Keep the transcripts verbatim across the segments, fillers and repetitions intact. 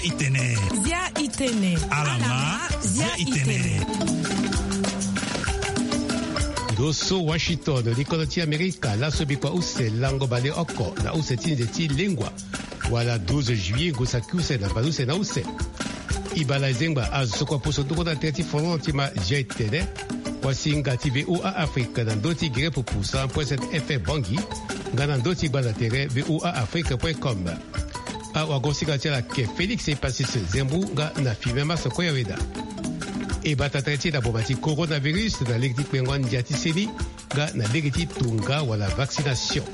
Itene. Zia itene. Alama. Zia itene. Ndo so Washington, likodro ti Amerika, laso bikua use lango baleoko na use ti nze ti lengua, wala douze juillet, ngu saki use na baleuse na use. Ibala ezengba azo so kua poso ndoko na tere ti folon ti ma zia itene. Wasinga ti VOA Afrique na ndö ti gere pupu cent point sept F M Bangui, nga na ndö ti gbanda tere VOA Afrique point com. Awagosinga ti ala ke Félix Epasis Zembu nga na Fimen Masoko Yaweda. E bata tere ti na boma ti coronavirus na lege ti kpengo andia ti seni nga na lege ti tonga wala vaccination.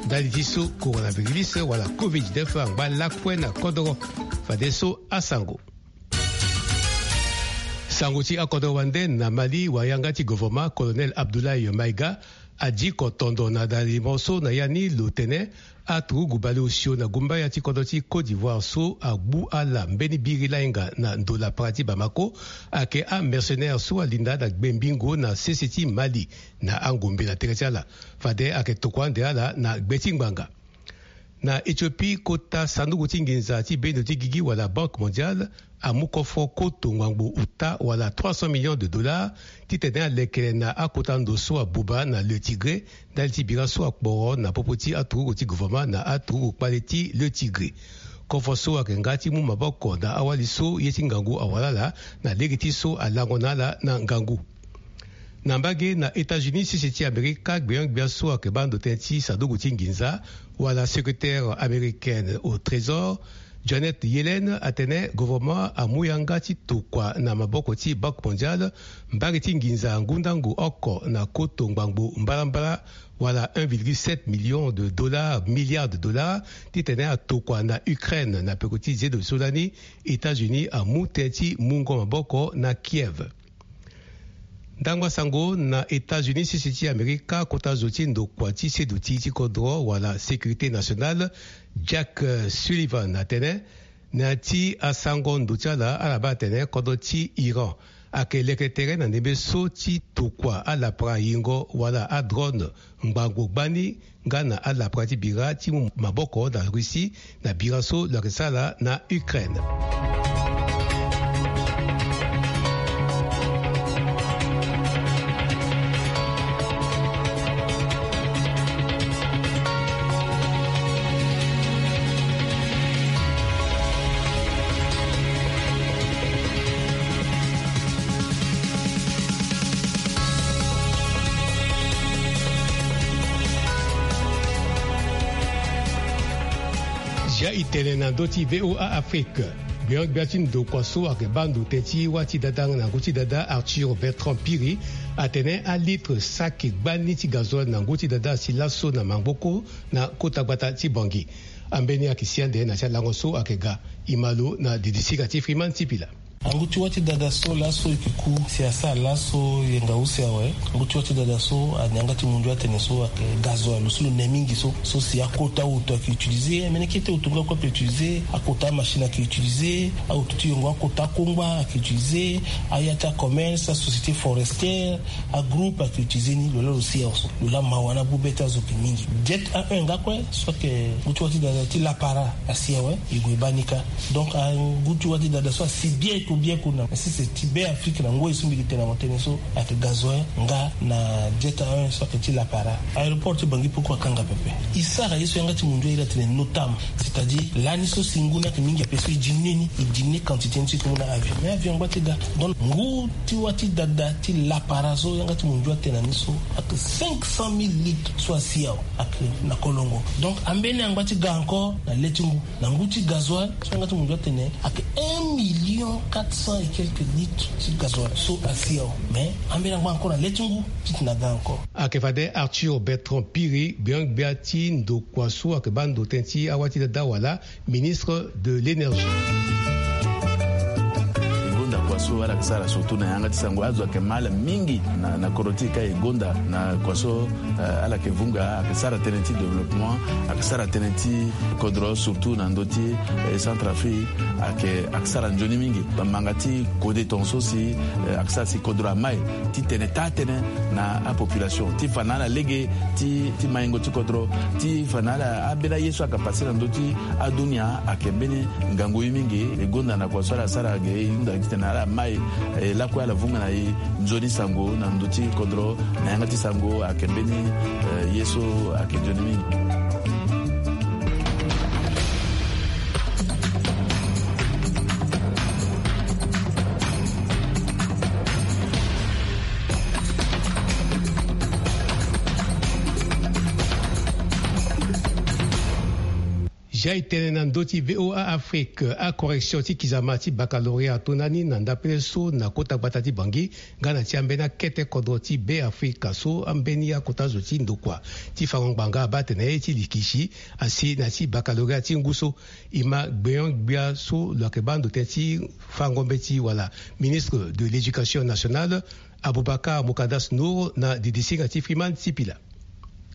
Ndali ti so coronavirus wala covid dix-neuf angba lakue na kodoro. Fadeso asango. Sango ti akodoro wande na Mali, wayanga ti govoroma, Colonel Abdoulaye Maïga, adiko tondo na dalimo so na ya ni lo tene aturugu baleosio na gumbaya ti kodro ti Côte d'Ivoire so agbu ala mbeni biri lainga na ndo lapara ti Bamako, ayeke amercenaire so alinda na gbembingo na sese ti Mali na angombe na tere ti ala. Fade ayeke tokua ande ala na gbe ti ngbanga. Na Éthiopie, kota sanduku ti nginza ti bendo ti gigi wala Banque Mondiale amu kofo koto ngbangbo uta wala trois cents millions de dollars titene alekere na akota ndo so abuba na Le Tigré, ndali ti bira so akporo na popo ti aturugu ti gouvernement na aturugu kpale ti Le Tigré. Kofo so ayeke nga ti mu maboko na awali so ye ti ngangu awara ala na lege ti so alango na ala na ngangu. Na mbage na États-Unis, sese ti Amerika, gbia gbia so ayeke baa ndo tënë ti sanduku ti nginza wala secrétaire américaine au trésor, Janet Yellen, atene gouvernement amu yanga ti tokua na maboko ti Banque Mondiale mbage ti nginza ngundangu oko na koto ngbangbo mbalambala, wala un virgule sept million de dollars, milliards de dollars, titene atokua na Ukraine na peko ti zendo so lani États-Unis amu tënë ti mungo maboko na Kiev. Ndangba sango na États-Unis, sese ti Amerika, kota zo ti ndokua ti seduti ti kodro wala sécurité nationale, Jack, euh, Sullivan, atene na ya ti asango ndo ti ala, ala baa atene kodro ti Iran ayeke leke tere na ndembe so ti tokua alapara yingo wala adrone ngbangbo gbani nga na alapara ti bira ti mu maboko na Russie na bira so lo yeke sara na Ukraine. Zia itene na ndö ti VOA Afrique. Gbia gbia ti ndokua so ayeke baa ndo tënë ti wâ ti dada na ngu ti dada, Arthur Bertrand Piri, atene alitre saki gbani ti gazole na ngu ti dada asi laso na maboko na kota gbata ti Bangui. Ambeni ayeke si ande na ti alango so ayeke ga. E ma lo na didisika ti Freeman Sipila. Angu ti wâ ti dada so laso e ke ku si asara laso yenga use awe. Angu ti wâ ti dada so ani yanga ti mundu atene so ayeke gazole, lo so lo ne mingi so, so si akota oto ayeke utiliser, amene kete oto nga kue ape utiliser, akota amachine ayeke utiliser, aoto ti yongo akota akongba ayeke utiliser, aya ti acommerce, asociété forestière, agroupe ayeke utiliser ni, lo laa lo si awe so. Lo laa mawa na abu be ti azo ayeke mingi. Jet A un nga kue so ayeke ngu ti wâ ti dada ti lapara asi awe, e gue e baa ni kâ. Donc angu ti wâ ti dada so asi bieko bieko na sese ti Be Afrique na ngoi so mbi yeke tene na mo tënë so ayeke gazole nga na jet A un so ayeke ti lapara. Aéroport ti Bangui pourquoi akanga pepe? E sara ye so yanga ti mundu airi atene NOTAM, c'est-à-dire lani so si ngu ni ayeke mingi ape so e diminuer ni, e diminuer quantité ni so e ke mu na avion. Mais avion angba ti ga. Donc ngu ti wâ ti dada ti lapara so yanga ti mundu atene na ni so ayeke cinq cent mille litres so asi awe ayeke na kolongo. Donc ambeni angba ti ga encore na le ti ngu. Na ngu ti gazole so yanga ti mundu atene ayeke un million quatre cents et quelques litres ti gazole so asi awe. Mais ambeni angba encore na le ti ngu titene aga encore. Ayeke fade Arthur Bertrand Piri, gbia gbia ti ndokua so ayeke baa ndo tënë ti awâ ti dada wala ministre de l'énergie. Na kua so ala yeke sara surtout na yanga ti sango, azo ayeke ma ala mingi na, na kodro ti e ka e gonda na kua so, eh, ala yeke vunga, ayeke sara tënë ti développement, ayeke sara tënë ti kodro surtout na ndö ti, eh, Centrafrique, ayeke, ayeke sara nzoni mingi. Bamanga ti kode tongaso si, eh, ayeke sara si kodro amai ti tene taa tënë na apopulation ti fa na ala lege ti, ti maingo ti kodro, ti fa na ala ambeni aye so ayeke pase na ndö ti adunia ayeke mbeni ngangu ye mingi. E gonda na kua so ala sara ge e hunda titene ala mai, eh, lakue ala vunga na e nzoni sango na ndö ti kodro na yanga ti sango ayeke mbeni, eh, ye so ayeke nzoni mingi. Zia e tene na ndö ti V O A Afrique, acorrection ti kizama ti baccalauréat atonda ni na ndapele so na kota gbata ti Bangui, nga na ti ambeni akete kodro ti Beafrika so ambeni akota zo ti ndokua ti fango ngbanga abaa atene ye ti likisi asi na ti baccalauréat ti ngu so. E ma gbenyo-gbia so lo yeke baa ndo tënë ti fango mbeti wala ministre de l'Éducation nationale, Aboubacar Moukadas Nour na didisinga ti Freeman Sipila.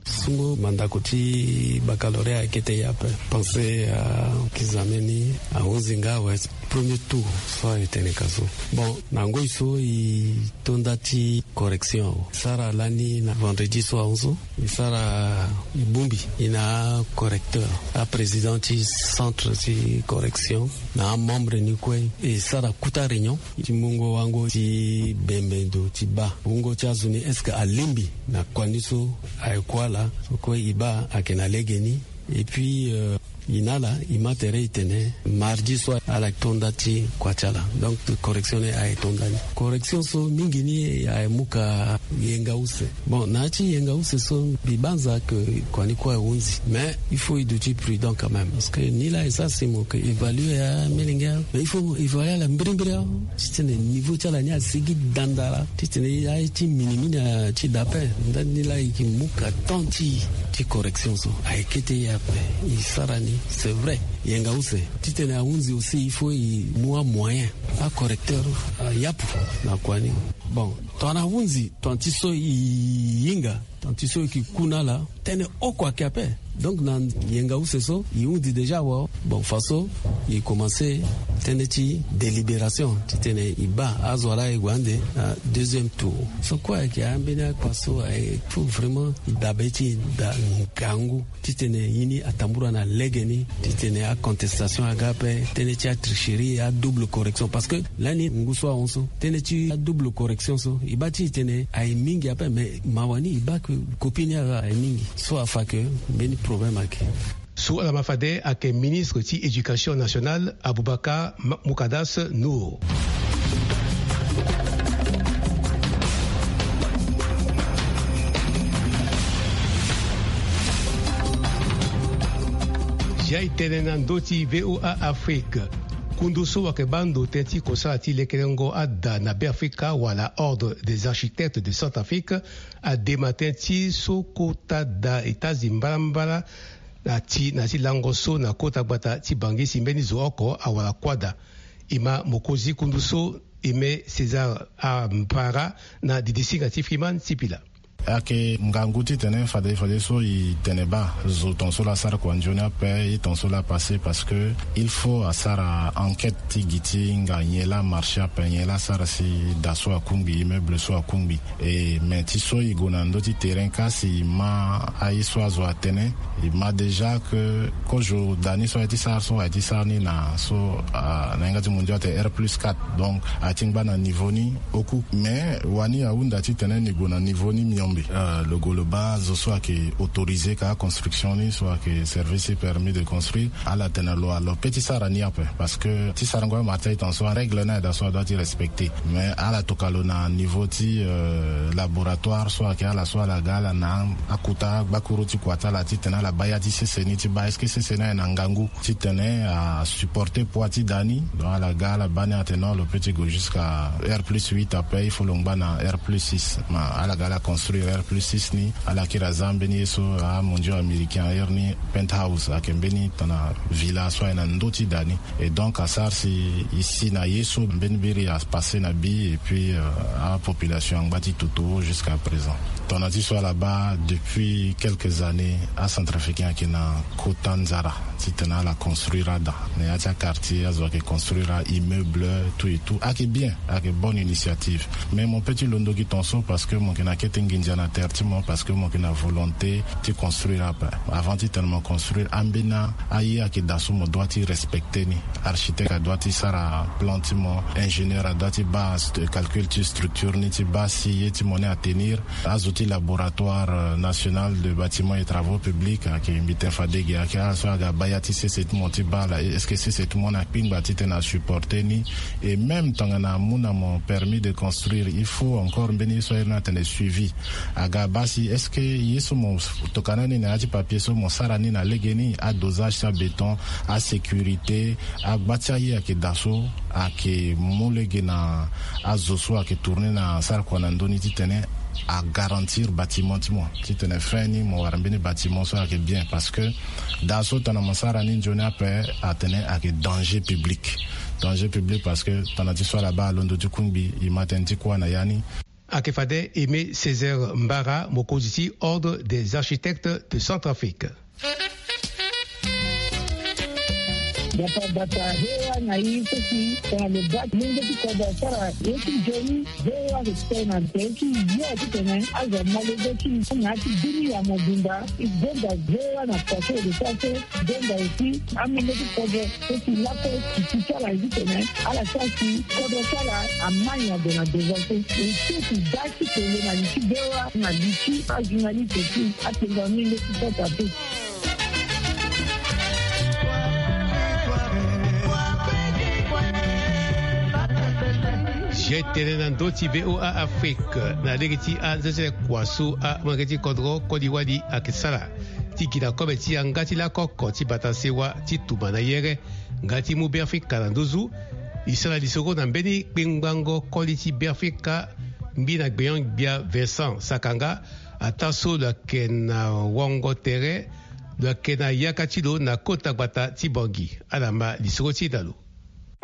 Sungo mandako ti baccalauréat akete ye ape. Pensée, ah, kizame ni ahunzi nga awe. Premier tour so aye tene ka so. Bon, na ngoi so e tonda ti correction. E sara lani na vendredi so ahon so. E sara, e bongbi, e na acorrecteur, aprésident ti centre ti correction, na amembre ni kue. E sara kota réunion ti mungo wango ti bembe ndo ti baa wungo ti azo ni, est-ce que alingbi na kua ni so aye ku ala? So kue e baa ayeke na legeni. Et puis, euh, e na ala, e ma tere e tene mardi so ala tonda ti kua ti ala. Donc correction ni aye tonda ni. Correction so mingi ni aye mu ka yenga use. Bon, na ya ti yenga use so mbi banza ke kua ni kue ahunzi. Mais il faut e duti prudent quand même. Parce que ni laa e sara si mo yeke évaluer amelenge, mais il faut mo évaluer ala mbirimbiri awe. Titene niveau ti ala ni asigi dandala. Titene aye ti minimini ti da ape. Ndani ni laa e yeke mu ka temps ti, ti correction so. Aye kete ye ape. E sara ni, c'est vrai. Yenga use. Titene ahunzi aussi, il faut e mu amoyen, acorrecteur, ah, yapu na kua ni. Bon, tongana ahunzi, tongana ti so e hinga, tongana ti so e yeke ku na ala, tënë oko ayeke ape. Donc na yenga use so e hunzi déjà awe. Bon, faso e commencé tënë ti délibération titene e baa azo wa laa e gue ande na deuxième tour. So kue ayeke ambeni akpa so aye, il faut vraiment e dabe ti e daa ngangu. Titene ye ni atambula na legeni, titene acontestation aga ape, tënë ti atricherie, adouble correction. Parce que lani ngu so ahon so, tënë ti adouble correction so, e baa ti e tene aye mingi ape, mais mawa ni e baa ke copie ni aga aye mingi. So afa ke mbeni problème ayeke. So ala ma fade ayeke ministre ti éducation nationale, Aboubacar Ma-, Moukadas Nour. Zia e tene na ndö ti V O A Afrique. Kundu so ayeke baa ndo tënë ti kosara ti lekerengo ada na Beafrika wala Ordre des Architectes de Centrafrique adema tënë ti so kota da etazi mbalambala na ti, na ti lango so na kota gbata ti Bangui si mbeni zo oko awara kuâ da. E ma mokonzi kundu so, Aimé César Ampara, na didisinga ti Freeman Sipila. Ayeke ngangu titene fade, fadeso e tene baa zo tongaso laa asara kua nzoni ape, ye tongaso laa apassé, parce que il faut asara enquête ti gi ti hinga nyen laa amarché ape, nyen laa asara si da so akungbi, immeuble so akungbi. E, mais ti so e gue na ndö ti terrain ka si e ma aye so azo atene, e ma déjà ke kozo da ni so aye ti sara so, aye ti sara ni na so, ah, na yanga ti mondial atene R plus quatre. Donc aye ti ngba na niveau ni oku. Mais wani ahunda titene ni gue na niveau ni miombe. Euh, lo gue lo baa zo so ayeke autorisé ka construction ni, so ayeke service permis de construire. Ala tene lo, lo peut ti sara ni ape. Parce que ti sarango amarché tongaso, arègle ni ayeke da so adoit ti respecté. Mais ala tokua lo na niveau ti, euh, laboratoire so ayeke ala so ala ga ala na akota gbakuru ti kua ti ala titene ala baa ya ti sese ni ti baa est-ce que sese ni ayeke na ngangu titene asupporté poids ti da ni. Donc ala ga ala baa ni atene non, lo peut ti gue jusqu'à R plus huit ape, il faut lo ngba na R plus six. Ma ala ga ala construire. R plus six ni, ala kiri aza mbeni ye so amondio américain airi ni penthouse, ayeke mbeni tana villa so aye na ndö ti da ni. Et donc asara si e si na ye so mbeni biri apasse na bi, et puis euh, apopulation angba ti toto jusqu'à présent. Tongana ti so ala baa depuis quelques années acentrafricain ayeke na kota nzara titene ala construire ada na ya ti aquartier, azo ayeke construire aimmeuble, tout et tout, ayeke bien, ayeke bonne initiative. Mais mo peut ti londo gi ton so parce que mo yeke na kete nginza na terre ti mo, parce que mo yeke na volonté ti construire ape. Avant titene mo construire, ambeni aye ayeke daa so mo doit ti respecter ni. Architecte adoit ti sara plan ti mo, ingénieur adoit ti baa calcul ti structure ni ti baa si ye ti mo ni atenir. Azo ti laboratoire national de bâtiment et travaux publics ayeke mbi ten fade ge, ayeke ala so aga baa ya ti sese ti mo ti baa ala, est-ce que sese ti mo ni akpingba titene asupporter ni? Et même tongana amu na mo permis de construire, il faut encore mbeni ye so airi ni atene suivi. Aga baa si est-ce que ye so mo tokana ni na ya ti papier so mo sara ni na lege ni, adosage ti abéton, asécurité, agba ti aye ayeke daa so, ayeke mu lege na azo so ayeke tourner na sara kua na ndö ni titene agarantir bâtiment ti mo, titene fin ni mo wara mbeni bâtiment so ayeke bien. Parce que daa so tongana mo sara ni nzoni ape, atene ayeke danger public. Danger public parce que tongana ti so ala baa alondo ti kungbi, e ma tënë ti kuâ na ya ni. Ayeke fade Aimé Césaire Mbara, mokonzi ti Ordre des architectes de Centrafrique. Bata bata, V O A na i so si tongana lo baa ti lenge ti kodro asara ye ti nzoni, V O A ayeke tene na tere ti yo titene azo amolenge ti na ya ti bini ya mobimba. E gonda V O A na kua so e lo sara so, gonda aussi amolenge ti kodro so si lakue ti ti ti ala ye titene ala sara si kodro ti ala amai na gue na devant so. E so si baa ti tene na li ti V O A na li ti ajournaliste ti atengo amolenge ti kota pe. Zia tënë na ndö ti V O A Afrique na lege ti anzenzele kua so amolenge ti kodro koli wali ayeke sara ti gi na kobe ti yanga ti lakoko ti bata sewa ti tuma na yere nga ti mu Beafrika na nduzu. E sara lisoro na mbeni kpengbango koli ti Beafrika, mbi na gbenyo-gbia Vincent Sakanga, ataa so lo yeke na wango tere, lo yeke na yaka ti lo na kota gbata ti Bangui. Ala ma lisoro ti e na lo.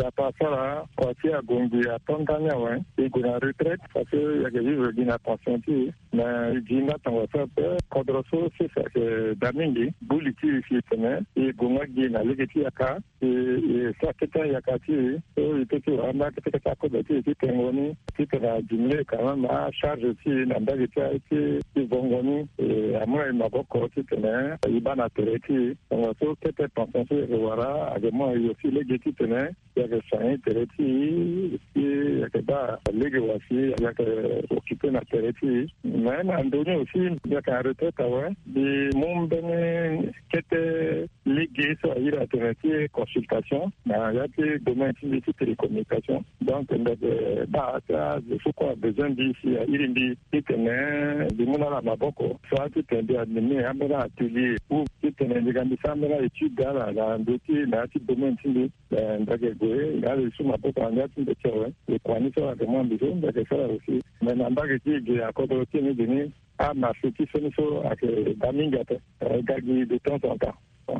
Bata asara kua ti ague ngbii ato ndani awe. E gue na retraite parce que e yeke vivre gi na pension ti e. Mais e gi nga tongaso ape, kodro so sese ayeke daa mingi. Gbu li ti e si e tene e gue nga gi na lege ti yaka. E, e sara kete ayaka ti e so e peut ti wara ambeni akete kete akobe ti e ti tengo ni titene a diminuer quand même acharge ti e na mbage ti aye ti, ti vongo ni. E amu na e maboko titene e baa na tere ti e. Tongaso kete pension so e yeke wara ayeke mu na e aussi lege titene e yeke soigner tere ti e, si e yeke baa lege wa si e yeke occuper na tere ti e. Mais na ndö ni aussi mbi yeke na retraite awe, mbi mu mbeni kete lege so a iri atene ti consultation na ya ti domaine ti mbi ti télécommunication. Donc mbi yeke baa ti azo so kue abezoin mbi si a iri mbi titene mbi mu na ala maboko, soit titene mbi anime ambeni atelier ou titene mbi ga mbi sara ambeni aétude ala na ndö ti na ya ti domaine ti mbi. Eh, mbi yeke gue nga ala e su maboko na ndia ti mbi ti awe. E kua ni so ala yeke mu na mbi so mbi yeke sara aussi. Mais na mbage ti e ge na kodro ti e ni ge ni, amarché ti so ni so ayeke daa mingi ape. Eh, e ga gi de temps en temps.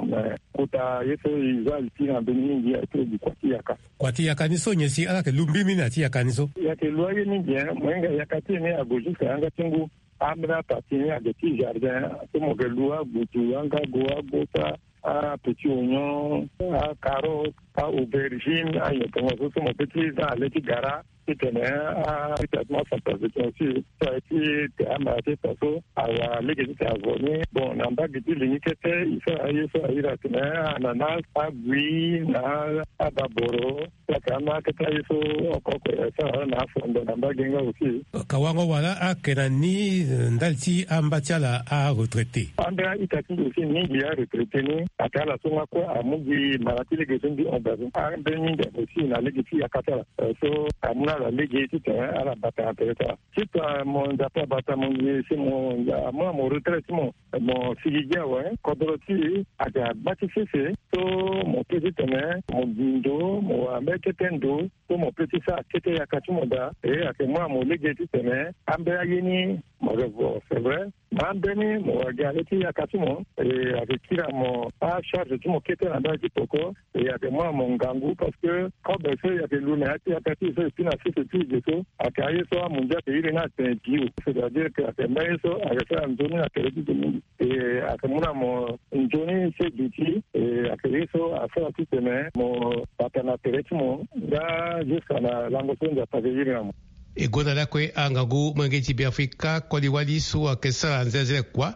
Mais kota ye so e za li ti na mbeni mingi aye ti lo gi kua ti yaka. Kua ti yaka ni so nyen si ala yeke lu mbirimbiri na ya ti yaka ni so? E yeke lu aye mingi, hein. Mo hinga yaka ti e ni ague jusqu'à yanga ti ngu. Ambeni apartie ni ayeke ti jardin so mo yeke lu agudu, angago, agota, apetit oignon, acarotte, a-aubergine, anyen tongaso so mo peut ti za na le ti gara titene a-, a-, ti traitement centrafricain aussi so aye ti te amara ti e tongaso awara lege titene azo ni. Bon, na mbage ti li ni kete e sara aye so a iri atene ananas, agui na ababoro. Saka ama kete aye so oko oko e sara na afondo na mbage nga aussi. Ka wango wala ayeke na ni, eh, ndali ti amba ti ala aretraité. Ambeni a-ita ti mbi aussi mingi aretraité ni. Ayeke ala so nga kue amu gi mara ti lege so mbi hon daa so. Ambeni mingi ayeke aussi na lege ti yaka ti ala. Eh, so amu na ala lege titene ala bata na tere ti ala. Ti fa mo Nzapa abata mo ngi si mo amu na mo retraite ti mo. Mo sigi gi awe, kodro ti e ayeke agba ti sese so mo peut ti tene mo gi ndo, mo wara mbeni kete ndo so mo peut ti sara kete yaka ti mo daa. E ayeke mu na mo lege titene ambeni aye ni Mo yeke vo, c'est vrai. Mambeni mo wara gi ale ti yaka ti mo. E, ayeke kiri na mo acharge ti mo kete na ndali ti poko. E, ayeke mu na mo ngangu parce que kobe so e yeke lu na ya ti yaka ti e so e pui na sese ti e ge so, ayeke aye so amundia ayeke iri ni atene bio, c'est-à-dire que ayeke mbeni ye so ayeke sara nzoni na tere ti zo mingi. E, ayeke mu na mo nzoni so e duti. E, ayeke ye so asara titene mo bata na tere ti mo nga jusqu'à na lango so Nzapa ayeke iri na mo. E gonda lakue angangu molenge ti Beafrika koli wali so ayeke sara nzenze kua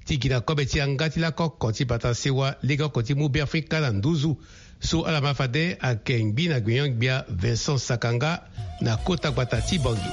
ti gi na kobe ti yanga ti lako oko ti bata sewa lege oko ti mu Beafrika na nduzu. So ala ma fade ayeke ngbi na gbenyo-gbia Vincent Sakanga na kota gbata ti Bangui.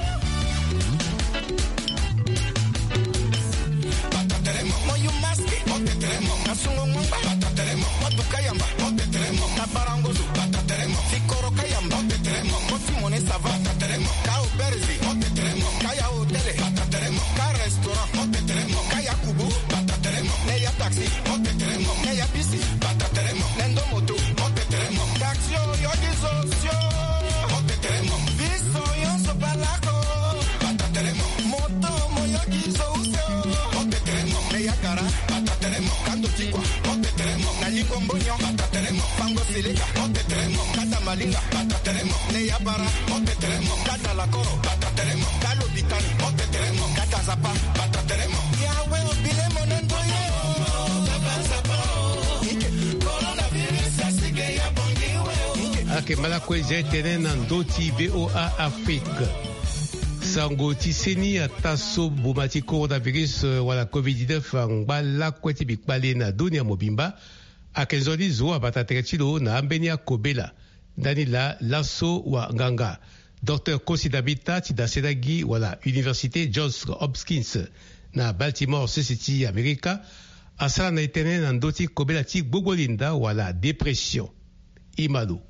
Ayeke ma lakue zia tënë na ndö ti V O A Afrique. Sango ti seni ataa so boma ti coronavirus, eh, wala covid dix-neuf angba lakue ti bikpale na dunia mobimba. Ayeke nzoni zo abata tere ti lo na ambeni akobela. Ndani laa laso wanganga Docteur Kosi Dabita ti dasena gi wala Université Johns Hopkins na Baltimore, sese ti Amerika, asara na e tënë na ndö ti kobela ti gbogbo linda wala dépression. Ima lo.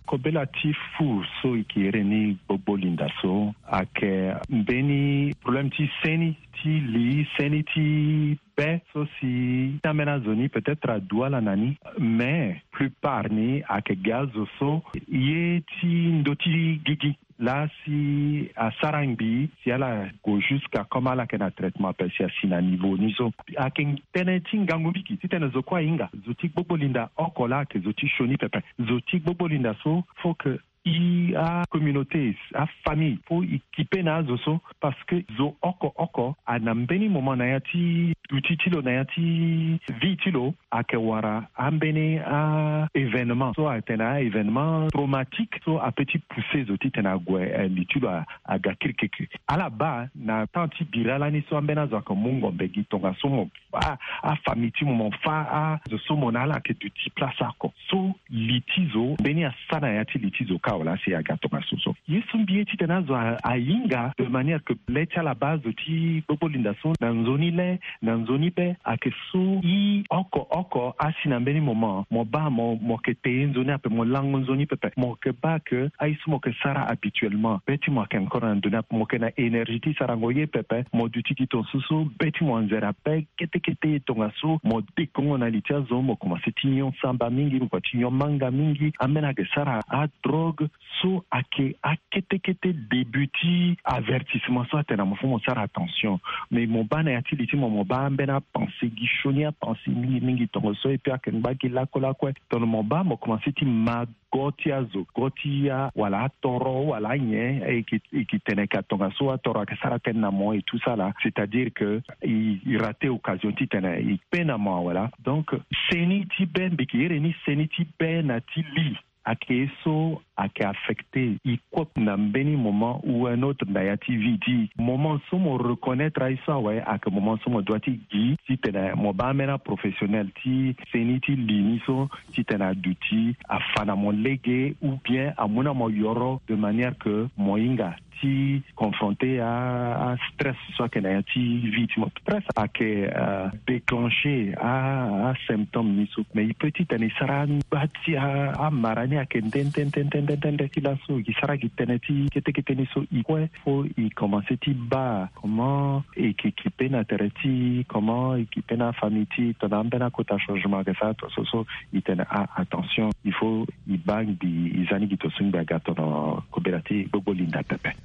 Kobela ti fu so e ke iri ni gbogbo linda so ayeke mbeni problème ti seni ti li, seni ti be so si ambeni azo ni peut-être adu ala na ni. Mais plupart ni ayeke gi azo so ye ti ndö ti gigi laa si asara ngbii si ala gue jusqu'à comme ala yeke na traitement ape si asi na niveau ni so. Ayeke tënë ti ngangu mingi titene zo kue ahinga. Zo ti gbogbo linda oko laa ayeke zo ti sioni pepe. Zo ti gbogbo linda so faut que e, acommunauté, afamille, faut e kipe na azo so, parce que zo oko oko ana mbeni moment na ya ti duti ti lo, na ya ti vie ti lo, ayeke wara ambeni a-événement so atene a-événement traumatique so apeut ti pousser zo titene ague, eh, li ti lo a, aga kirikiri. Ala baa na temps ti bira lani so ambeni azo ayeke mu ngombe gi tongaso mo a, afamille ti mo, mo fa azo so mo na ala ayeke duti place oko. So li ti zo mbeni asara na ya ti li ti zo kâ wala asi aga tongaso so. Ye so mbi ye titene azo a, ahinga de manière que le ti ala baa azo ti gbogbo linda so na nzoni le, na nzoni be, ayeke so e oko oko asi na mbeni moment mo baa mo, mo yeke te ye nzoni ape, mo lango nzoni pepe, mo yeke baa que aye so mo yeke sara habituellement be ti mo ayeke encore na ndoni ape, mo yeke na énergie ti sarango ye pepe, mo duti gi tongaso so be ti mo anzere ape. Kete kete tongaso mo dekongo na li ti azo, mo komanse ti nyon samba mingi, mo komanse ti nyon manga mingi, ambeni ayeke sara adrogue. So ayeke akete kete début ti avertissement so atene na mo fo mo sara attention. Mais mo baa na ya ti li ti mo, mo baa ambeni apensée gi sioni, apensée mingi mingi tongaso, et puis ayeke ngba gi lakue lakue. Tongana mo baa mo komanse ti ma go ti azo, go ti a, wala atoro, wala anyen, e yeke, e yeke tene ka tongaso atoro ayeke sara tënë na mo et tout ça là, c'est-à-dire que e, e raté occasion titene e kpe na mo, wala. Donc seni ti be, mbi yeke iri ni seni ti be na ti li, ayeke ye so ayeke affecté e kue na mbeni moment ou un autre na ya ti vie ti e. Moment so mo reconnaître aye so awe, ayeke moment so mo doit ti gi titene mo baa ambeni aprofessionnel ti seni ti li ni so titene aduti afa na mo lege, ou bien amu na mo yoro de manière que mo hinga ti confronter a, astress so ayeke na ya ti vie ti mo. Stress ayeke, euh, déclencher a, asymptôme ni so. Mais e peut titene e sara angba ti a, amara ni ayeke nde nde nde nde nde nde ti laso. E sara gi tënë ti kete kete ni so. E kue fo e komanse ti baa comment e yeke kipe na tere ti, comment e kipe na afamille ti e, tongana ambeni akota changement ayeke sara tongaso so. E tene a, attention, il faut e baa ngbii, e za ni gi tongaso ngbii aga tongana kobela ti gbogbo linda pepe.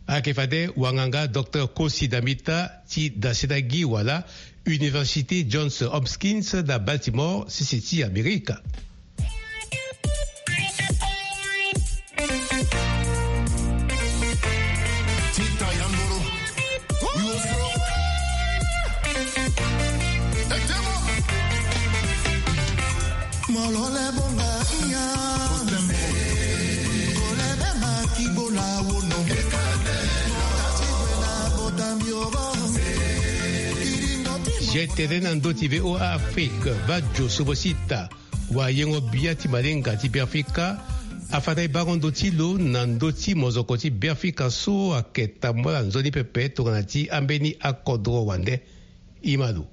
Ayeke fade wanganga Docteur Kosi Damita ti daseta gi wala Université Johns Hopkins na Baltimore, sese ti Amerika. Gtene na ndö ti VOA Afrique, Badio Sobosita, wayengo bia ti malenga ti Beafrika, afa na e bango ndö ti lo na ndö ti mozoko ti Beafrika so ayeke tambula nzoni pepe tongana ti ambeni akodro wande. Imalo.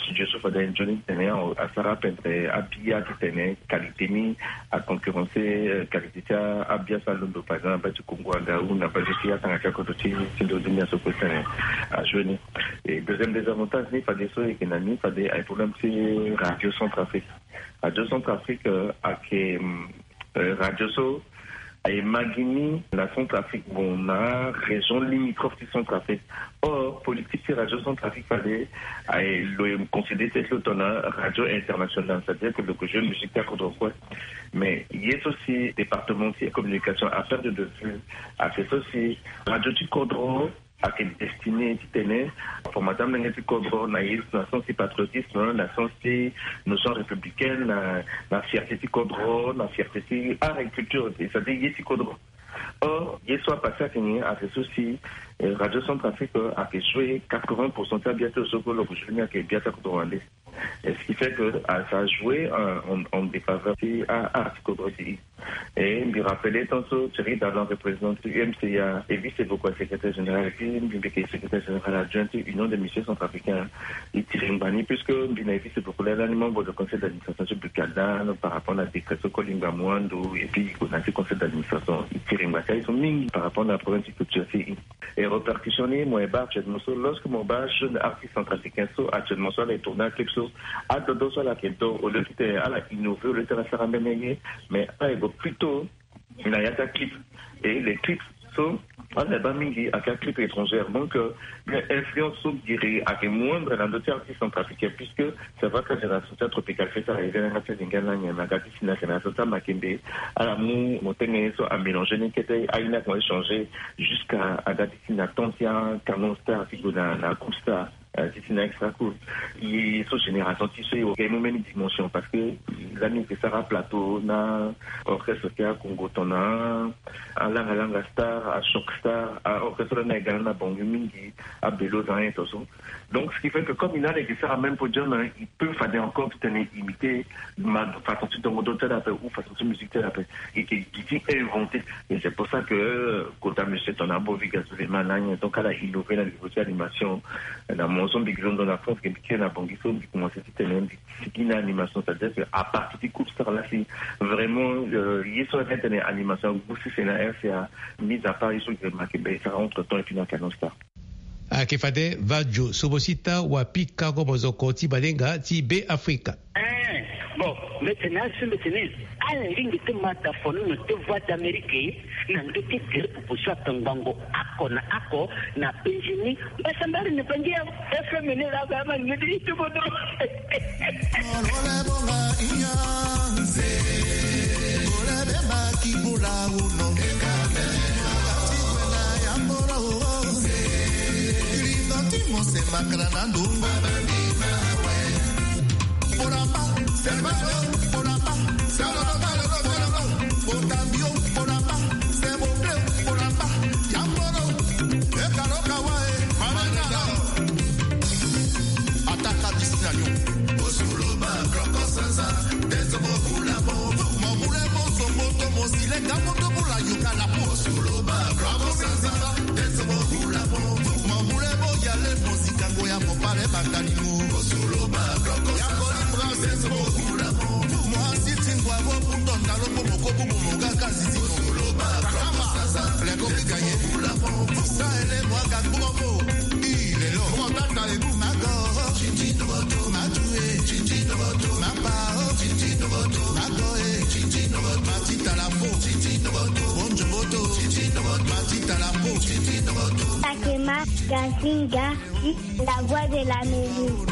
Studio so fade nzoni titene asara ape titene abia titene qualité ni aconcurrencer, euh, qualité ti abia so alondo, par exemple na base ti Congo anga ou na base ti atanga ti akodro ti, ti ndo ti ndia so kue titene ajoue ni. Et deuxième désavantage ni fadeso e yeke na ni fade aye problème ti Radio Centrafrique. Radio Centrafrique, euh, ayeke, euh, radio so aye ma gi ni na Centrafrique, bon, na région limitrophe ti Centrafrique. Or politique ti Radio Centrafrique fade aye lo e considérer ti lo tongana radio internationale, c'est-à-dire que lo ke jouer musique ti akodro kue. Mais ye so si département ti communication a perdre de vue, aye so si radio ti kodro ayeke destiné titene former ti amolenge ti kodro na ye, na sens ti patriotisme, na sens ti notion républicaine, na, na fierté ti kodro, na fierté ti art et culture, c'est-à-dire ye ti kodro. Or ye so apassé ayeke ni, ayeke so si, euh, Radio Centrafrique, euh, ayeke jouer quatre-vingts pour cent ti abia ti lo so kue lo ke jouer ni ayeke bia ti akodro wande. Et ce qui fait que, ah, ça a joué en, en, en défaveur ti a, a, ti kodro ti e. Et mbi rappelé tant so Thierry Dallan, représentant ti U M C A, e vice beaucoup à secrétaire général, et puis mbi mbi yeke secrétaire général adjoint ti Union des musiciens centrafricains. E tiri ngbani puisque mbi na e vice beaucoup là, là, membre du conseil d'administration ti Bucada, par rapport na décret so Kolimba Mwando, et puis na ti conseil d'administration. E tiri ngbani ti aye so mingi par rapport na problème ti culture ti e. Et répercussion ni mo e baa actuellement so, lorsque mo baa jeune artiste centrafricain so actuellement so ala e tourner aclip so, adodo so ala yeke do, au lieu ti tene ala innover, au lieu ti ala sara mbeni ye, mais ala e go plutôt na ya ti aclip. Et les clips so ala e baa mingi ayeke aclip étrangère. Donc, euh, influence so giri ayeke moindre na ndö ti artiste centrafricain, puisque c'est vrai que génération ti atropical fête ala e via na yanga ti alinga na nyen na ga ti si na yeke na so ti amakembe. Ala mu mo tenge ye so amélanger ni kete, aye ni akomanse changer jusqu'à aga ti si na temps ti acanon star ti gue na, na coupe star, euh, ti si na extra coupe. Ye so génération ti so e oga e mu mbeni dimension parce que lani e ke sara plateau na orchestre ti akongo tongana alanga langa star, achoc star, aorchestre lani e ga na bango mingi, abelo za ayen to so. Donc ce qui fait que comme il a les guitares à même podium, hein, il peut fade encore titene imiter ma façon ti dongo do ti ala ape ou façon ti musique ti ala ape. E ke gi ti inventer. Et c'est pour ça que, euh, kota monsieur tongana Bovi Gazouliman na nyen, donc ala innover na niveau ti animation. Na mo so mbi gi londo na France ke mbi kiri na Bangui so mbi commencer titene mbi sigi na animation, c'est-à-dire que à partir ti coupe star la si vraiment, euh, ye so ayeke tene animation agu sese na R C A, mis à part ye so giri makembe e sara entre temps et puis na canon star. Ayeke fade Vadio Sobosita wa pika ko mozoko ti balenga ti Be Afrika. Eh, bon, mbeti na asu mbeti ni. Ala lingbi ti ma da fono na te Voix d'Amérique na ndö ti gere popo so atongbango ako na ako na penzi ni. Mbasambari ni bangi ya F M ni la ba ma ni di tu bodo. Ataka bisi na yo. Osuloba, Kroko Sansa, Tesobo Bulabo, Mobule Boso, Moto Mosile, Gamoto Bula, Yukala, Osuloba, Kroko Sansa, Tesobo Bulabo, Mobule Boyale, Mosika, Goya, Mopale, Batalimo, Osuloba, Kroko Sansa, Tesobo Bulabo, Moasi, Tingwabo, Butonda, Lobo, Mokobu, Momoga, Kazizi, Osuloba, Kroko Sansa, Leko, Kikaye, Bulabo, Sahele, Mwaga, Bobo, Ilelo, Motata, Ebu, Mago, Matue, Mapa, Magoe, Matitalapo, Bonjoboto, Matitalapo, Takema Gasinga, la voix de l'Amérique.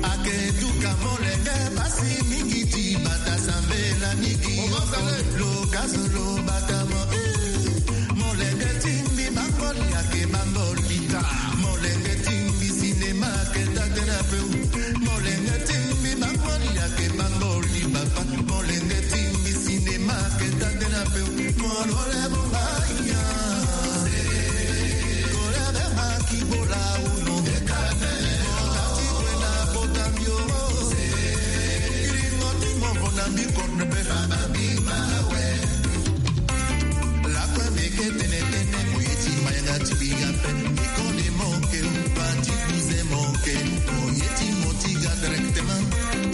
Ake duka molenge basi mingi ti bata sambela nigi. Lokazo lo bata mo. Molenge timbi bangoli ake bangoli. Molenge timbi sinema ake tatena peu. Molenge timbi bangoli ake bangoli papa. Molenge timbi sinema ake tatena peu. Molole bongaya. Kolebe maki bola uno. Mokati kwena kota mbio. Iringo ti mo bona mbi kotne pe. Lakue mbi eke tene tene mo ye ti mayanga ti binga pe. Mbi koni mo ke, pa ti kuze mo ke. Mo ye ti mo ti ga directement.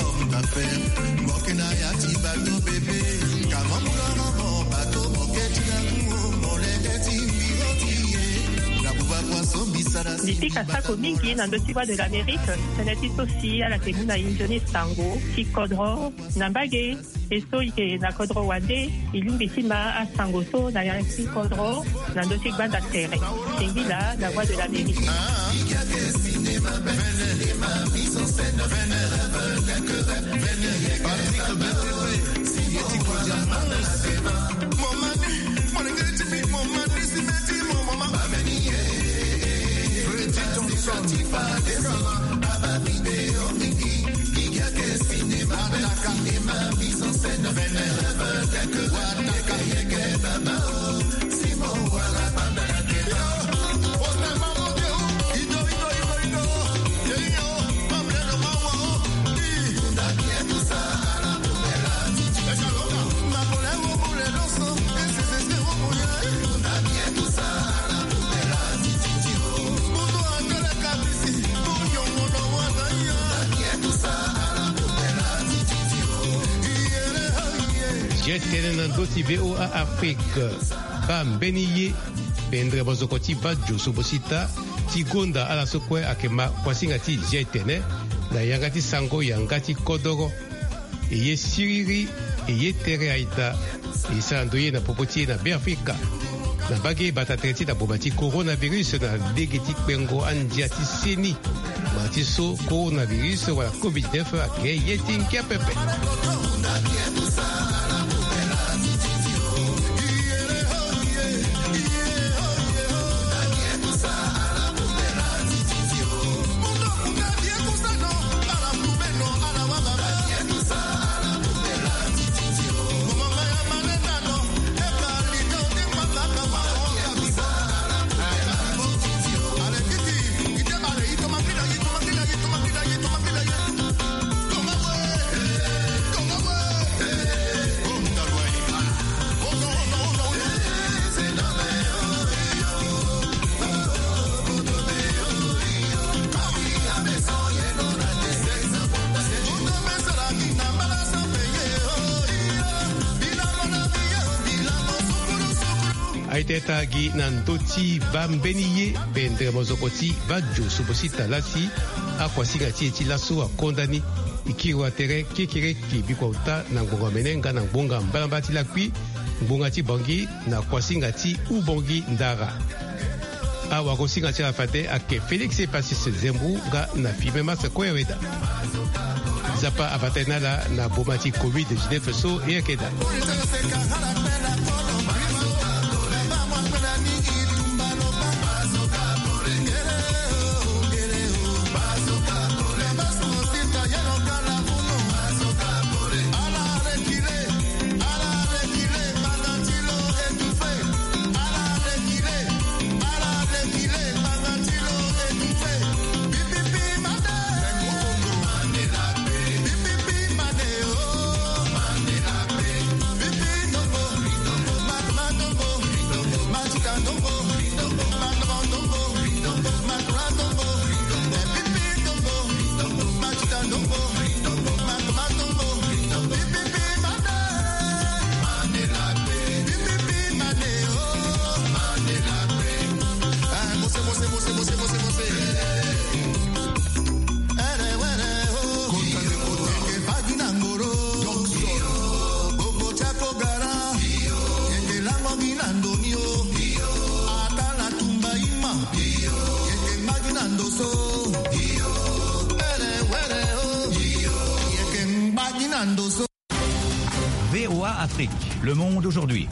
Homme d'affaires. Mo ke na ya ti bateau bébé. Ka mo mu loro mo bateau mo ke ti na kuo. Molenge ti mbi ro ti ye. Na buba kua so mbi sara si. Mbi pika sako mingi na ndö ti Voix de l'Amérique. Tënë ti so si ala yeke mu na e nzoni sango ti kodro na mbage. E so e yeke na kodro wande, e lingbi ti ma asango so na yanga ti kodro na ndö ti gbanda tere. Singila, la voix de l'Amérique. Ye tene na ndö ti V O A Afrique. Baa mbeni ye. Pendere mozoko ti bajo so bosita ti gonda ala so kue ayeke ma kuasinga ti ye tene na yanga ti sango yanga ti kodoro. E ye siriri, e ye tere aita. E sara ndo ye na popo ti e na Beafrika. Na mbage bata tere ti na boma ti coronavirus na lege ti kpengo andia ti seni. Ma ti so coronavirus wala covid neuf ayeke ye ti ngia pepe. Aita e ta gi na ndö ti baa mbeni ye pendere mozoko ti bajo so bosita lasi. Akuasinga ti e ti laso akonda ni. E kiri wa tere kekereke bikua ota na ngbonga mene nga na ngbonga mbalambala ti lakui, ngbonga ti Bangui na kuasinga ti Ubangui Ndara. Awagosinga ti ala fade ayeke Félix Epacis Zembrou nga na Firmin Mars Koyaweda. Nzapa abata e na ala na boma ti covid dix-neuf so e yeke daa. Na ndoni o. Ata na tumba ima. Yeke mbagi na ndoso. Were, were o. Yeke mbagi na ndoso. V O A Afrique, le monde aujourd'hui.